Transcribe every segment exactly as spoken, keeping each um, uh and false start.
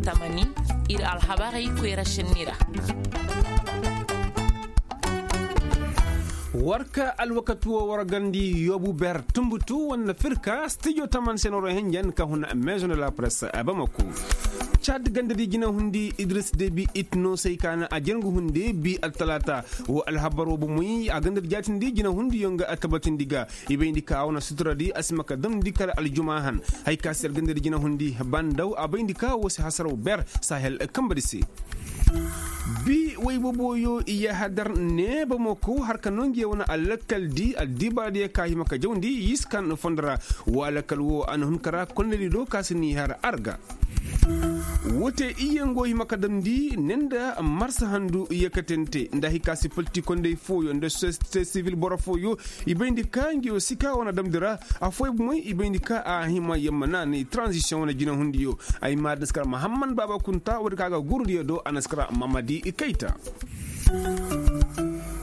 Tamani, ir alhabarey koyra šenni ra. War ka alwakati wo war gandi yoobu ber tumbutu wane firka stijo taman senoro henjen ka hun maison de la presse a bamako. Cad ganda di jina hundi idris debi it no say ka na a jangu hunde bi altalaata. Wo alhabar wo bomoy a ganda di jaatindi jina hundi yo nga a tabatindi ga. I bayndi ka a wane sutura di a si ma ka damndi kala aljuma han. Hay ka si alganda di jina hundi bandaw a bayndi ka wo si hasaraw ber sahel kamba di se. Bi way boboyo i yahadar neeba mo ko har ka no ngi wane alakkal di addibaadiya ka hima ka jawndi yiskan fondora. Wa alakkal wo a na hun kara konnedi do ka si ni har arga. Wote iyango hima ka damndi ne nda marsa handu yakatante nda hika si politik kondey fooyo nda société civil boro fooyo. I bayndi ka ngi wo si ka wane damndi ra. Afooyo bomoy i bayndi ka a hima yamma naanay transition wane jina hundiyo. Ay maadin si kara mahamman baaba kunta woodi ka ga gurdiyo do a na si kara mamadi kayta.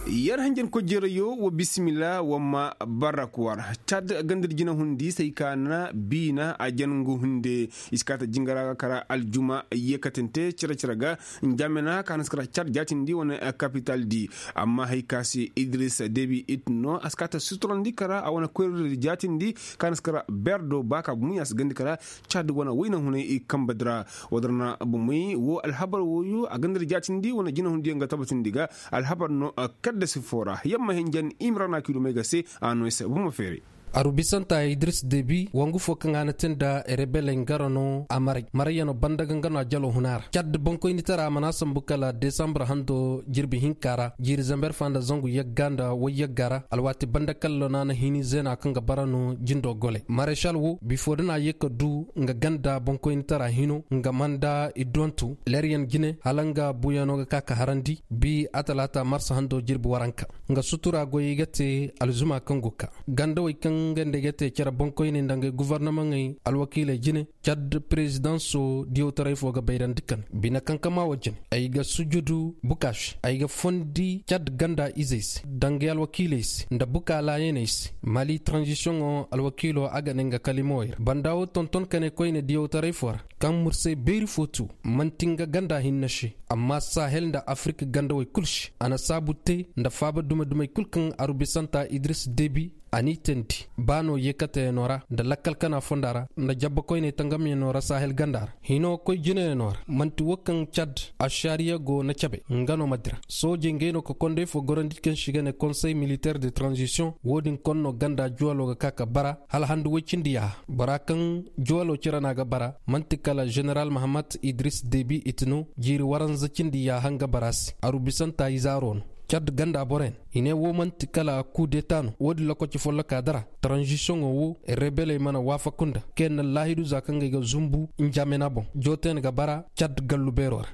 Yer hanjan kojjerayo wa bisimila wa ma barak war cad ganda di jina hundi say ka na biina a jangu hunde. I si kaata jingara ga kara aljuma yekatante cere-cere ga. Njamena ka na si kara cad jaatindi wane kapital di. Amma hay ka se idris debi it no a si kaata suturandi kara a wane koyradi jaatindi ka na si kara berdo ba ka bumu ya si gandi kara. Cad wane wayna hunay i kamba dira. Wadar na bumay wo alhabar woyo a ganda di jaatindi wane jina hundiyaŋ ga tabatindi ga. Alhabar no kadda si foo ra yamma hinjan imrana kiilumay ga se. A no i se buma feeray. Aru bisanta idris debi wangu fo kaŋ a na te nda rebeley nga ra no a maray marayyaŋo banda ga nga no a jalo huna ra cadda boŋkoynitara a mana sambu kala desambur hando jirbi hinka ra jiiri zamber fa nda zangu yagga nda wayyagga ra alwaati banda kallo no a na hini zeena kaŋ ga bara no jindo goley mareshal wo bifo da na a ye ka du nga ganda boŋkoynitara hino nga manda i dontu leryaŋ jine hala nga buuyaŋo ga ka ka harandi bi a talaata marsa hando jirbi waranka nga sutura goyey ga te alzuma kaŋ go ka gandawey kaŋ nga nda ay ga te cere boŋkoyney nda ngey guvarnamaŋey alwakiiley jine cad perezidanso diyawtaray fo ga bayrandi kane bine kankama wo jine ay ga sujudu bukaaši ay ga fondi cad ganda izey se nda ngey alwakiiley se nda bukaa laayaney se mali taranzisiyoŋo alwakiilo a ga ne nga kalimawey ra banda wo tonton kane koyne diyawtaray fo ra kaŋ mursay beeri fo tu man'ti nga ganda hinne se amma sahel nda afirik gandawey kul se a na saabu te nda faaba dume-dumey kul kaŋ aru bisanta idris debi a n'i teendi ba no yeekateyaŋo ra nda lakkal kana fonda ra nda jabba koyney tangamyaŋo ra sahel ganda ra hino koy jineyaŋo ra man'ti wo kaŋ cad ašariya go na cabe nga no ma dira soojey ngey no ka kondey fo gorandi kaŋ se i ga ne konsey militeer de taranzisiyoŋ wo-din konno ganda juwalo ga ka ka bara hala handu woy cindi yaaha bora kaŋ juwalo cere no a ga bara man'ti kala ženeral mahamat idris debi iti no jiiri waranza cindi yaaha nga bara se aru bisanta izaaro no cad ganda boroyaŋ i ne wo man'ti kala kuu deta no wo-din lokaci folloka dara taranzisiyoŋo wo rebeley mana waafaku nda kaŋ yaŋ na laahidu za kaŋ ga ay ga zumbu njamena boŋ jootayaŋ ga bara cad gallu beero ra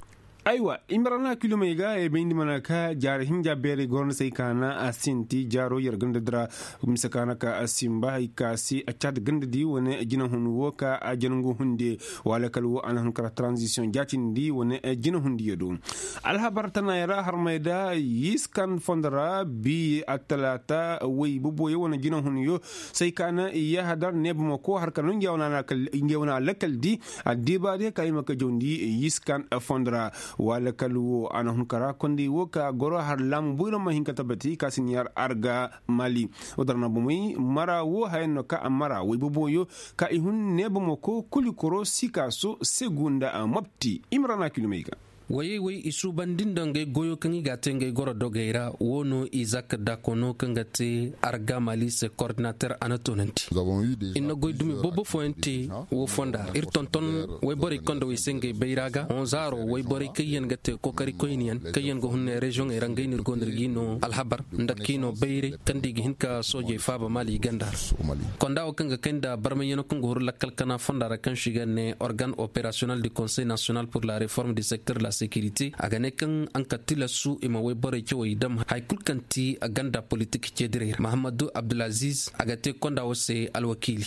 aywa i ma ra na kilomey ga ay bayndi mana ka jaari hinja beerey gorandi se ay ka na a sinti jaaro yer ganda dira mise ka na ka a simba hay ka se a caati ganda di wane jinahun wo ka a jangu hunde wala kala wo a na hun kara taranzisiyoŋ jaatindi wane jinahundiyo do alhabar tanayaŋ ra harmey da yiskan fondo ra bi attalaata way boboyo wane jinahunyo se ay ka na yahadar neeba ma ko har ka no ngey wane alakkal di addibaadiyo ka i ma ka jawndi yiskan fondo ra wala kala wo a na hun kara kondey wo ka goro har laamu boyro ma hin ka tabati ka si ni har arga mali wadar na bomey mara wo hayaŋ no ka a mara way boboyo ka i hun neeba ma ko kuli koro sikaaso segu nda mopti i ma ra na kilomey ga wayey way i suubandi nda ngey goyo kaŋ i ga a te ngey goro dogey ra wo no izak dakono kaŋ ga te argamali se kordinater a na toonandi ir na goy dumi boobo fooyaŋ te wo fonda ra ir tonton wayborey kaŋ da way se ngey bayra ga honzaaro wayborey kaŋ yaŋ ga te kokarikoyniyaŋ kaŋ yaŋ ga hunne reziyoŋey ra ngey no ir go no ir g'i no alhabar nda k'i no bayray kaŋ da i ga hin ka soojey faaba mali ganda ra konda wo kaŋ ga kay nda barmayyano kaŋ ga huru lakkal kana fonda ra kaŋ se i ga ne organ operasional du konsey nasiyonal pur la reform du sekter de la Sekirite a ga ne kaŋ a nga tilasu i ma woyborey cawey dam hari kulu kaŋ ti a ganda politik ceediray ra mahammadu abdulaziz a ga te konda wo se alwakiili.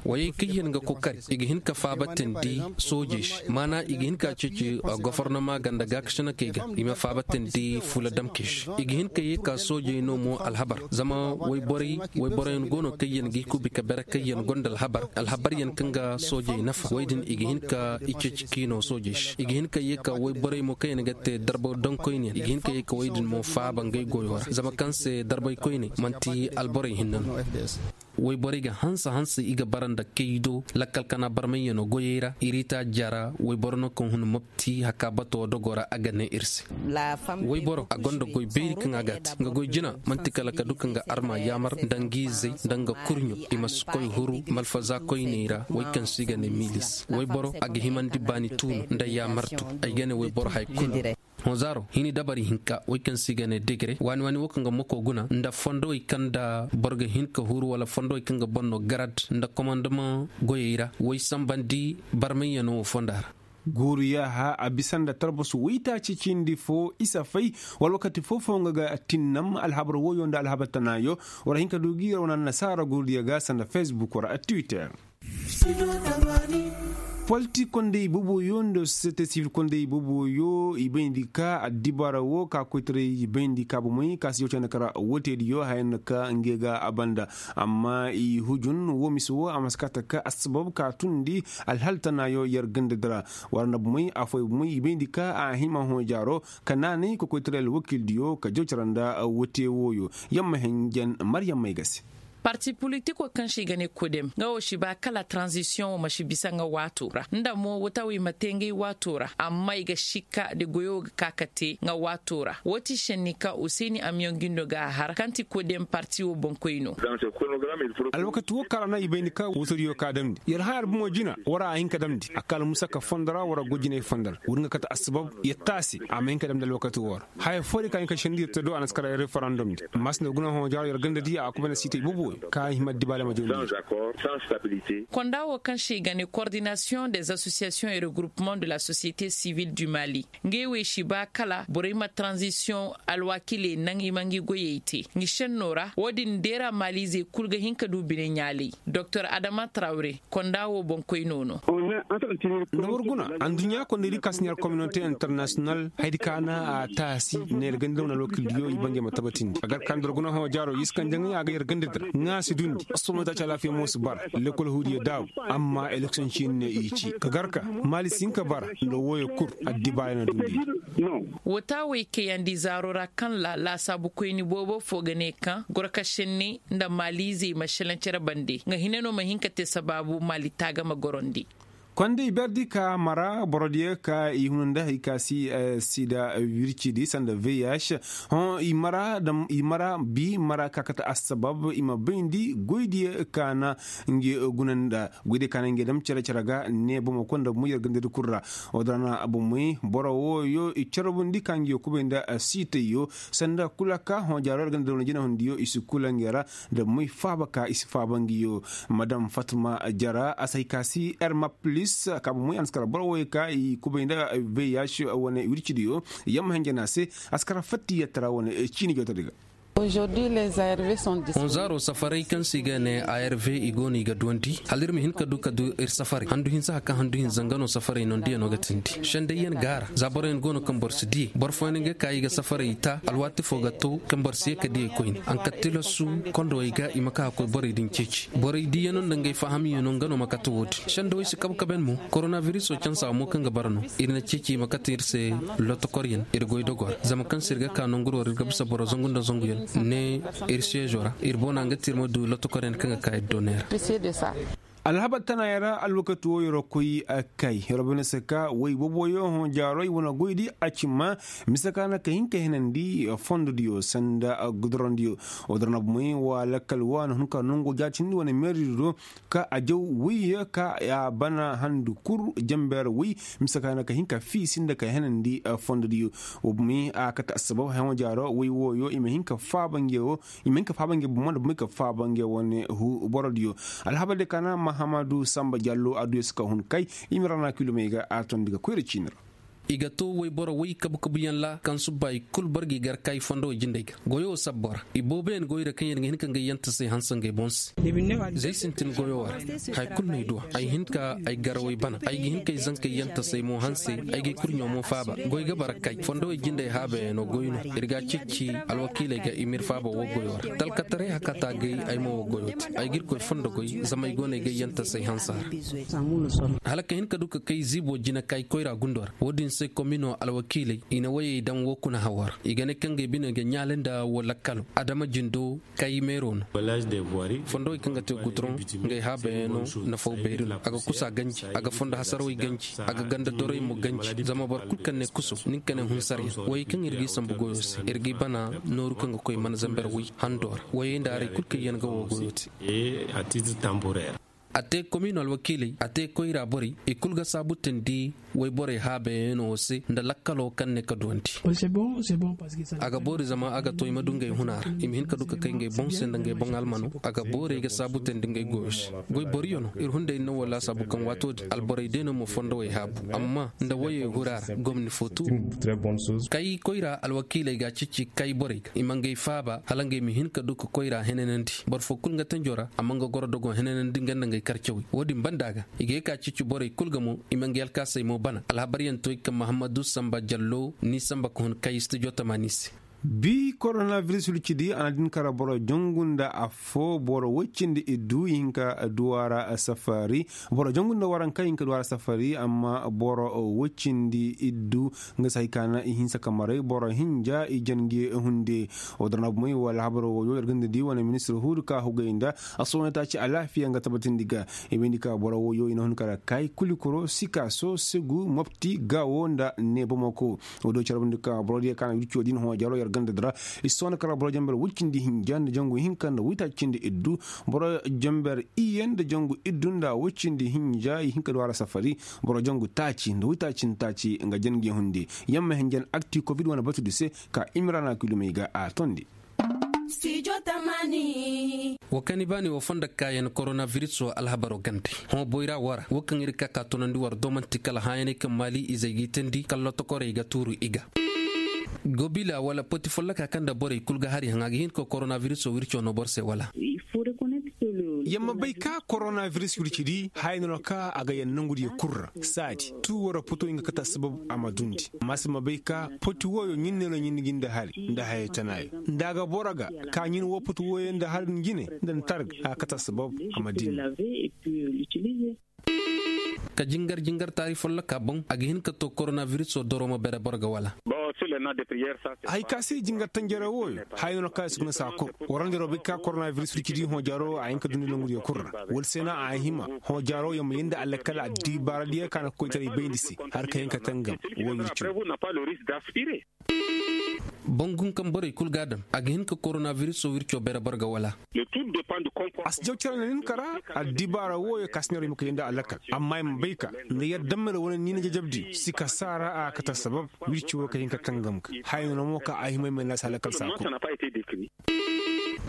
Wayey kaŋ yaŋ ga kokari i ga hin ka faabatandi soojey se maana i ga hin ka ceeci gofornoma ganda gaakasinakey ga i ma faabatandi fuula damkey se i ga hin ka ye ka soojey no mo alhabar zama wayborey wayborey yaŋ go no kaŋ yaŋ ga i kubi ka bere kaŋ yaŋ gonda alhabar alhabar yaŋ kaŋ ga soojey nafa wey din i ga hin ka i ceeci kiino soojey se i ga hin ka ye ka wayborey mo kaŋ yaŋ ga te darba donkoyne yaŋ i ga hin ka ye ka wey din mo faaba ngey goyo ra zama kaŋ se darbay koyne manti alborey hinne no. Wayborey ga hanse hanse i ga bara nda kaydo lakkal kana barmayyaŋo goyey ra iriita jara wayboro no kaŋ hun mopti haka bato dogo ra a ga ne ir se. Wayboro a gonda goy beeri kaŋ a ga a te nga goy jina man'ti kala ka du kaŋ ga arma yaamar nda nga izey nda nga kurɲo i ma si koy huru malfaza koyney ra way kaŋ se i ga ne milis wayboro a ga himandi baani tuuno nda yaamartu ay ga ne wayboro hay kulu. Hõ zaaro hini dabari hinka way kaŋ se i ga ne degre waani waani wo kaŋ ga mako guna nda fondowey kaŋ nda boro ga hin ka huru wala fondowey kaŋ ga boro no garad nda komandamaŋ goyey ra way sambandi barmayyaŋo wo fonda ra. Guuru yaaha a bisa nda tarbasu waytaaci cindi fo isa fay wala wakati foo-foo nga ga tinnam alhabar woyo nda alhabar tanaayo. War hin ka du gi yer wane annasaara guurudiyo ga sanda fesbuk war a twitter. Politik kondey boboyo nda sosiyete sivil kondey boboyo i bayndi ka addibaara wo ka koytaray i bayndi ka bomey ka si yow candi kara woteediyo haya nda ka nge ga a banda. Amma i hujun wo mise wo a ma si kate ka assabab ka tundi alhal tanaayo yer gandadi ra. War nda bomey afooyaŋ bomey i bayndi ka a hima hõ jaaro ka naanay ka koytaray alwakiildiyo ka jaw cara nda wote wooyo. Yamma hinjan maryam may ga se. Parti politiko kaŋ se i ga ne kodem nga wo si ba kala tranzisiyoŋo ma si bisa nga waato ra nda mo wata wo i ma te ngey waato ra amma i ga sikka de goyo ga ka ka te nga waato ra wo ti senni kaŋ useni amiyoŋ gindo ga a har kaŋ ti kodem parti wo boŋkoyno. Alwakati wo kaŋ ra no i bayndi ka wuturiyo ka damndi yer haya albumo jina wara a hin ka damndi a kala musa ka fondo ra wara go jinay fondo ra wuri nga kate assabab yer taasi a ma hin ka damndi alwakati wo ra. Haya foo di ka hin ka sendi yer te do a na si kara referandum di maasina guna hõ jaaro yer ganda di a kubay na siitay bobo ka hima dibaale ma jawndi. Konda wo kaŋ se i ga ne kordinasiyoŋ des asosiyasiyoŋ et regroupement de la sosiyete sivil du mali. Ngey wey si ba kala borey ma tranzisiyoŋ alwaakiley naŋ i ma ngi goyey te ngi senno ra wo- din deera maliizey kul ga hin ka du bine ɲaaley. Doktor adama trawre konda wo boŋkoyno no. Nda war guna adduɲɲa kondaydi ka si ɲaar kominote internasiyonal hayadi ka na a taasi neera ganda wane alwakildiyo i bangey ma tabatindi a gar ka nda war guna hõ jaaro i si kaŋ jaŋay a ga yer ganda dira ŋaa si dundi asomota ci alaafiya mo si bara lekol huudiyo daabu. Amma eleksiyoŋ ciini ne i ci ka gar ka maali si hin ka bara nda wooyo kul addibaaya na dundi. Wota wey kayandi zaaro ra kaŋ ra laasaabu koyni boobo fo ga ne kaŋ gorka senne nda maaliizey ma šelaŋ cere bande nga hine no ma hin ka te sabaabu maali taagama gorondi. Konda i berdi ka mara borodiyo ka i huna nda hari ka si sida wircidi sanda vih hõ i mara bi mara ka kate assabab i ma bayndi goydiyo ka na nge guna nda goydiyo ka na nge dam cere cere ga ne bomo konda mo yer gandadi kul ra. Wodin ra na bomey boro wooyo i carbundi ka nge kubay nda siitayyo sanda kula ka hõ jaaro yer gandadi wane jinahundiyo i si kula nge ra. Da moy faaba ka i si faaba ngiyo madam fatma jara a si hay ka si erma plis ka bomey a na si kara boro wooyo ka i kubay nda vih wane wircidiyo. Yamma hinja no a se a si kara fattiyatara wane ciini jawtadi ga. Hõ zaaro safaray kaŋ se i ga ne arv i go no i ga duwandi hala ir ma hin ka du ka du ir safaray handu hinsa hari kaŋ handu hinza nga no safaray nondiyaŋo ga tindi sendayyaŋ gaara za boroyaŋ go no kaŋ boro si diyey boro fooyaŋ ga ka i ga safaray ta alwaati fo ga to kaŋ boro si ye ka diyey koyne a na ka tilasu kondowey ga i ma ka ka koy borey din ceeci borey diyaŋo nda ngey fahamyaŋo nga no ma kate wo-din sendawey si kabe kabe yaŋ mo koronabiriso cansa mo kaŋ ga bara no ir na ceeci i ma kate ir se lotokoryaŋ ir goy dogo ra zama kaŋ se ir ga ka nongu ra war ir ga bisa boro zangu nda zanguyaŋ ne ir seezo ra ir boona nga te ir ma du lotokoryaŋ kaŋ ga ka ir doone ra. Alhabar tana yaŋ ra alwakati wo yer koy kay yer bay no se ka woy booboyo hõ jaaro i wane goydi a ci ma mise ka na ka hin ka henandi fondodiyo sanda gudurandiyo. Wodin ra na bomey wa lakkal wa na hun ka nongo jaatindi wane meerdi do ka a jaw woy ka a bana handu kul janbeera woy mise ka na ka hin ka fiisi nda ka henandi fondodiyo. Wa bomey a kate assabab hõ jaaro woy wooyo i ma hin ka faaba nge wo i ma hin ka faaba nge bomo nda bomey ka faaba nge wane borodiyo. Alhabar diyo ka na Hamadu samba jallo adduya si ka hun kay. I ma rana kilomey ga a tondi ga koyra ciini ra. I ga to wayboro way kabu-kabuyaŋ ra kaŋ subba i kul boro g'i gar kaayi fondo way jindey ga goyo wo sabbo ra. Ibooboyaŋ goyra kaŋ yaŋ ga hin ka ngey yantasey hanse ngey boŋ se. Zey sintin goyo wo ra. Haya kul no ay du a ay hin ka ay garawey bana ay ga hin ka ay zankey yantasey mo hanse. Ay ga ay kurɲo mo faaba goy ga bara kay fondo way jindey haabayaŋ no goy no. Ir ga a ceeci alwakiiley ga i ma ir faaba woo goyo ra talkataray hakata gay ay mo woo goyo te. Ay ga irkoy fondo goy zama ay go no ay ga ay yantasey hanse a ra. Hala ka hin ka du ka kay ziibo jina ka ay koyra gundo ra wo-din se komino alwakiiley i na wayey daŋ woo kuna hawo ra i ga ne kaŋ ga ay bine ga ɲaali nda woo lakkalo adama jindo. Kay meero no. Fondowey kaŋ ga te gutoroŋ, ngey haabayaŋ no. Nafaw beeri no a ga kusa ganji a ga fondo hasarawey ganji a ga ganda doroy mo ganji zama boro kul kaŋ ne kuso nin ka ne hunsaryaŋ wayey kaŋ ir g'i sambu goyo se ir g'i bana. Nooru kaŋ ga koy mana zamber way hando ra wayey nda arey kul kaŋ yaŋ ga woo goyo te. A te komino alwakiiley a te koyra borey i kul ga saabutandi wayborey haabayaŋo se nda lakkalo kaŋ ne ka duwandi. A ga boori zama a ga to i ma du ngey huna ra i ma hin ka du ka kay ngey boŋ se nda ngey boŋ almano. A ga boori ay ga saabutandi ngey goyo se. Goy boriyo no ir hunday ir na woo laasaabu kaŋ waato din alborey day no ma fondowey haabu amma nda wayey hura ra gomni fo tu. Kay koyra alwakiiley ga a ceeci kay borey ga i ma ngey faaba hala ngey ma hin ka du ka koyra henanandi boro fo kul nga tanjo ra a ma nga goro dogo henanandi nga nda ngey karcawey wo-din banda ga. I ga ye ka ceeci borey kul ga mo i ma nga yalkaasey mo bana alhabaryaŋ to i kaŋ mahammadu samba jallo ni samba ka hun kay studio tamaani se. Bi koronabiris wirci di a na din kara boro jangu nda affo boro woy cindi iddu i hin ka duwara safari. Boro jangu nda waranka i hin ka duwara safari amma boro woy cindi iddu nga si hay ka na i hinsa ka maray boro hinja i jange hunde. Woo dara na bumey wala habaro wooyo yar ga nda di wane ministir huudu ka hugay nda a sohõ taaci alaafiya nga tabatindi ga. I bayndi ka boro wooyo i na hun kara kay kulikuro sikaso segu mopti gawo nda neebamako. Woo do carabandi ka boro diya ka na wirco din hõ jaro yar ganda dira i sohõ kara boro jamber woy cindi hinja nda jangu hinka nda woy taaci cindi iddu. Boro jamber iye nda jangu iddu nda woy cindi hinja i hin ka du a ra safari. Boro jangu taaci nda woy taaci nda taaci nga jange hunde. Yamma hinjan akti kovid wane batudi se ka imrana kilomey ga a tondi. Woo kaŋ i baani woo fondo kaayaŋ koronabiris woo alhabaro gande. Hõ boyra woo ra woo kaŋ ir ga ka ka tunandi war do man'ti kala hãyaney kaŋ maali izey g'i teendi kala lotokorey ga tuuru i ga. Gobila wala poti folloka kaŋ nda borey kul ga hari haŋ a ga hin ka koronabiris woo wirco no boro se wala? Yer ma bay ka koronabiris wirci di haya no no ka a ga yer nongudiyo kul ra saadi tuu wara puto nga kate assabab a ma dundi. Amma se ma bay ka poti wooyo ɲin ne no ɲin ga nda hari nda hayey tanaayo nda a ga boro ga ka ɲin woo poti wooyo nda hari din jine nda ni targa a ga kate assabab a ma dindi. Ka jingar jingar taari folloka boŋ a ga hin ka to koronabiris woo doro ma bere boro ga wala? Hay ka se jingar tanjare wooyo haya no no ka ay si guna saa kor. Warandi robi ka koronabiris wirci di hõ jaro a hin ka dundi nongudiyo kul ra wala se no a hima hõ jaro yer ma yee nda alakal addibaaradiyo ka na koytaray bayndi se har ka hin ka tangam woo wirco. Bangu kaŋ borey kul ga a daŋ a ga hin ka koronabiris woo wirco bere boro ga wala? A si jaw care na nin kara addibaara wooyo ka si neera i ma kay nda alakal amma i ma bay ka nda yer dammel wane niina jajabdi si ka saara a ga kate assabab. Wirci woo ka hin ka tangam ga haya no no mo ka a hima ay ma ay na si alakal saa kul.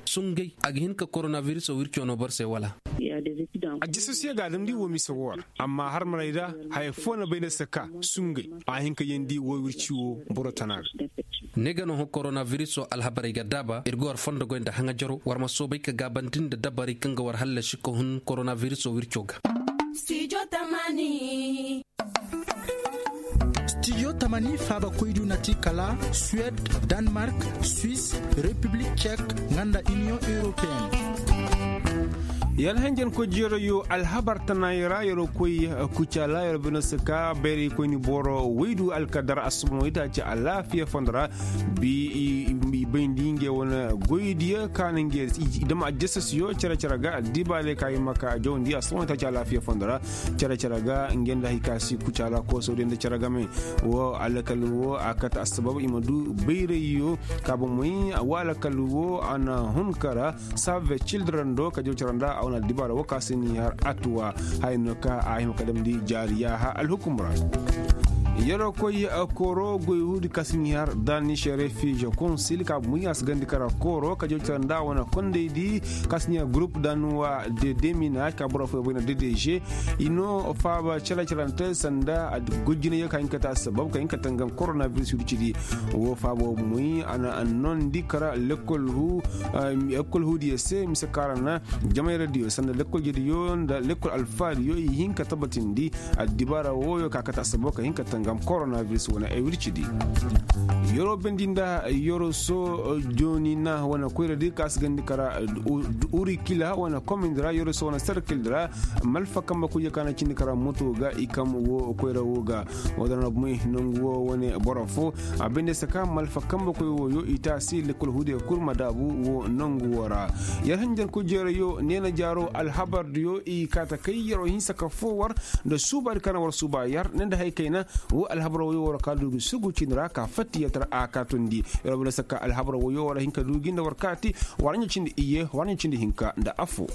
Sungay a ga hin ka koronabiris woo wirco no boro se wala? Ajasasiyo ga a damndi woo mise woo ra amma har maray ra haya foo na bay nda se ka sungay a hin ka yeendi woo wirci woo boro tana ga. Ne ga no hõ koronabiris woo alhabarey ga daaba ir ga war fondo goy nda haŋajaro war ma soobay ka gaabandi nda dabarey kaŋ ga war hallasi ka hun koronabiris woo wirco ga. Stijo tamani faaba koydu na ti kala suwed, danmark, swis, repiblik cek, nga nda iniyoŋ europeen. Yar hanjankoy jeerayo alhabar tanaayoo ra yer'o koy kucaala yer'o bine se ka bayraykoyni boro woydu alkadar assuba no itaaci alaafiya fondo ra. Bi i bayndi ngey wane goydiyo ka na ngey dam ajasasiyo cere-cere ga addibaarey ka i ma ka jawandi assuba no itaaci alaafiya fondo ra. Cere-cere ga ngey nda hay ka si kucaala koosodiyo nda cere game. Woo alakal woo a kate assabab i ma du bayrayyo ka bomoy woo alakal woo a na hun kara save cildren do ka jaw cere nda a wane addibaara woo ka se ni har atuwa. Haya no ka a hima ka damndi jaari yaaha alhukum ra. Yeroo koy kooro goy huudi ka si ɲi har daani se refiize konsil ka buɲa si gandi kara kooro ka jawcara nda wane kondaydi ka si ɲi har gurup danuwa de deminaaz ka boro fooyaŋ bay na dedeže. I no faaba cere-cerante sanda gojjinayo ka hin ka te assabab ka hin ka tangam koronabiris wircidi. Woo faaba woo bumoy a na annondi kara lekkol huudiyo se mise ka ra na jamayradiyo sanda lekkol jediyo nda lekkol alfaadiyo i hin ka tabbatindi. Addibaara wooyo ka kate assababo ka hin ka tangam koronabiris wane ay wircidi. Yeroo bendi nda yeroo soo jooni na wane koyradi ka si gandi kara urikila wane komindi ra yeroo soo wane serkildi ra. Malfa kambe koyyo ka na cindi kara moto ga i kam woo koyra woo ga. Woo da na bumay nangu woo wane boro foo a bende saka malfa kambe koy wooyo i taasi lekkol huudiyo kul ma daabu woo nangu woo ra. Yer hanjanku jeerayo neena jaaroo alhabardiyo i kaa ta kay yeroo hinsa ka foo war nda suubaadi ka na war suuba yar ne nda hay kayna. Woo alhabar wooyo war kaa du gi sugu cindi ra ka fatti yer tara a kaa tondi. Yer war banda saka alhabar wooyo war hin ka du gi nda war kaati war ɲa cindi iyye war ɲa cindi hinka nda affoo.